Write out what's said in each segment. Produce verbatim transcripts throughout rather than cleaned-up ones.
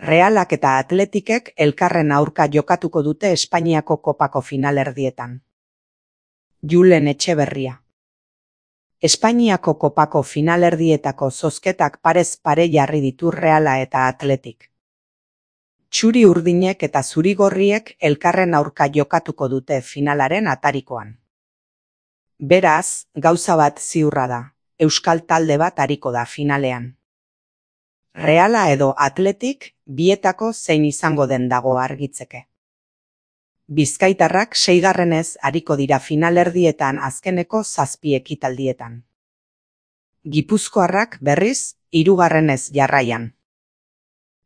Realak eta Atletikek elkarren aurka jokatuko dute Espainiako kopako finalerdietan. Julen Etxeberria. Espainiako kopako finalerdietako zozketak parez pare jarri ditu Reala eta Atletik. Txuri urdinek eta zurigorriek elkarren aurka jokatuko dute finalaren atarikoan. Beraz, gauza bat ziurra da, euskal talde bat ariko da finalean. Reala edo Atletik, bietako zein izango den dago argitzeke. Bizkaitarrak seigarrenez ariko dira finalerdietan azkeneko zazpi ekitaldietan. Gipuzkoarrak berriz, hirugarrenez jarraian.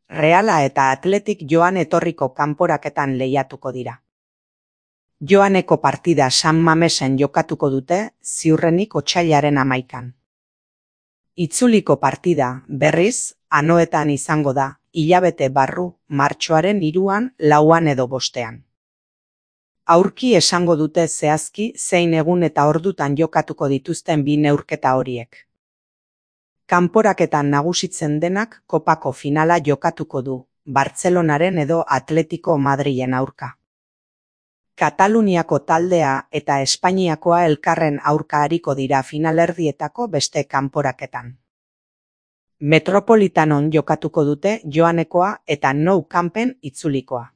Reala eta Atletik joan etorriko kanporaketan lehiatuko dira. Joaneko partida San Mamesen jokatuko dute, ziurrenik otsailaren hamaikan. Itzuliko partida, berriz, Anoetan izango da, hilabete barru, martxoaren hiruan, lauan edo bostean. Aurki esango dute zehazki zein egun eta ordutan jokatuko dituzten bi neurketa horiek. Kanporaketan nagusitzen denak kopako finala jokatuko du, Bartzelonaren edo Atletico Madrilen aurka. Kataluniako taldea eta Espainiakoa elkarren aurka ariko dira finalerdietako beste kanporaketan. Metropolitanon jokatuko dute Joanekoa eta Nou Campen itzulikoa.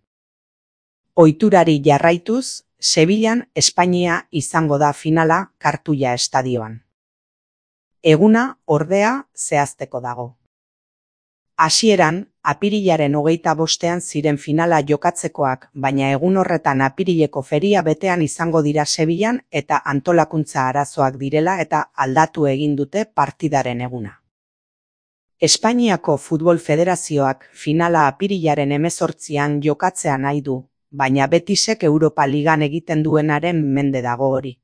Ohiturari jarraituz, Sevillan Espainia izango da finala Kartuia estadioan. Eguna, ordea, zehazteko dago. Hasieran, apirilaren hogeita bostean ziren finala jokatzekoak, baina egun horretan apirileko feria betean izango dira Sevillan eta antolakuntza arazoak direla eta aldatu egin dute partidaren eguna. Espainiako Futbol Federazioak finala apirilaren hemezortzian jokatzea nahi du, baina Betisek Europa Ligan egiten duenaren mende dago hori.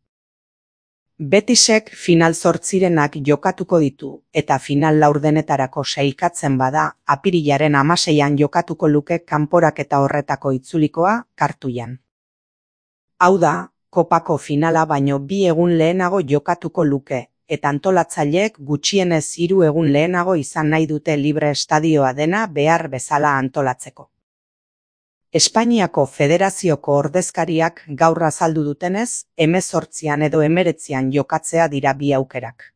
Betisek final zortzirenak jokatuko ditu eta final laurdenetarako sailkatzen bada apirilaren hamaseian jokatuko luke kanporaketa horretako itzulikoa Kartuian. Hau da, kopako finala baino bi egun lehenago jokatuko luke, eta antolatzaileek gutxienez hiru egun lehenago izan nahi dute libre estadioa dena behar bezala antolatzeko. Espainiako Federazioko ordezkariak gaur azaldu dutenez, hemezortzian edo hemeretzian jokatzea dira bi aukerak.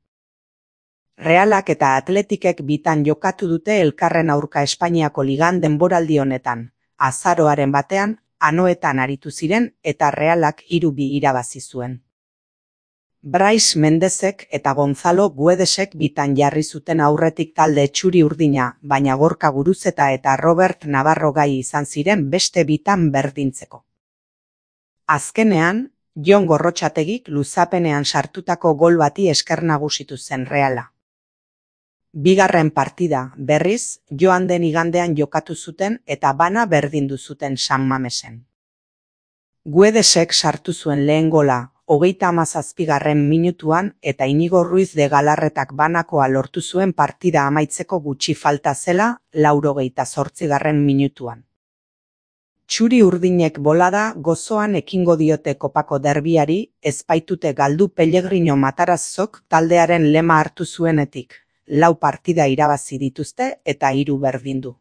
Realak eta Atletikek bitan jokatu dute elkarren aurka Espainiako ligan denboraldi honetan, azaroaren batean, Anoetan aritu ziren eta Realak hiru bi irabazi zuen. Brais Mendezek eta Gonzalo Guedesek bitan jarri zuten aurretik talde txuri urdina, baina Gorka Guruzeta eta Robert Navarro gai izan ziren beste bitan berdintzeko. Azkenean, Jon Gorrotxategik luzapenean sartutako gol bati esker nagusitu zen Reala. Bigarren partida, berriz, joan den igandean jokatu zuten eta bana berdindu zuten San Mamesen. Guedesek sartu zuen lehen gola, hogeita hamazazpigarren minutuan eta Inigo Ruiz de Galarretak banakoa lortu zuen partida amaitzeko gutxi falta zela, laurogeita zortzigarren minutuan. Txuri urdinek bolada gozoan ekingo diote kopako derbiari, ez baitute galdu Pellegrino Matarazzok taldearen lema hartu zuenetik, lau partida irabazi dituzte eta hiru berdindu.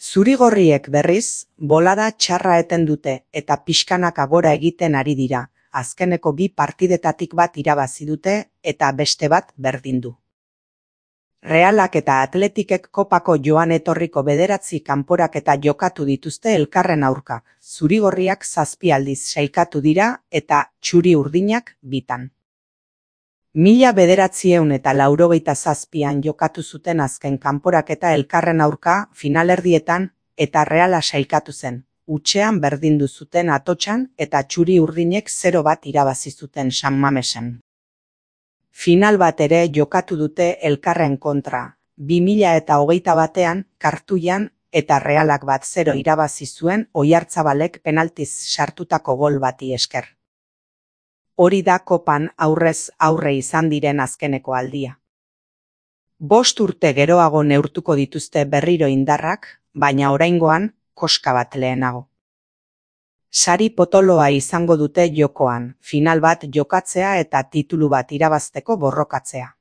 Zurigorriek berriz, bolada txarra eten dute eta pixkanaka gora egiten ari dira, azkeneko bi partidetatik bat irabazi dute eta beste bat berdindu. Realak eta Atletikek kopako joan etorriko bederatzi kanporaketa jokatu dituzte elkarren aurka, zurigorriak zazpi aldiz sailkatu dira eta txuri urdinak bitan. Mila bederatziehun eta laurogeita zazpian jokatu zuten azken kanporaketa elkarren aurka finalerdietan eta Reala sailkatu zen. Utxean berdindu zuten Atotxan eta txuri urdinek zero bat irabazi zuten San Mamesen. Final bat ere jokatu dute elkarren kontra, bi mila eta hogeita batean, Kartuian eta Realak bat zero irabazi zuen Oiartzabalek penaltiz sartutako gol bati esker. Hori da kopan aurrez aurre izan diren azkeneko aldia. Bost urte geroago neurtuko dituzte berriro indarrak, baina oraingoan, koska bat lehenago. Sari potoloa izango dute jokoan, final bat jokatzea eta titulu bat irabazteko borrokatzea.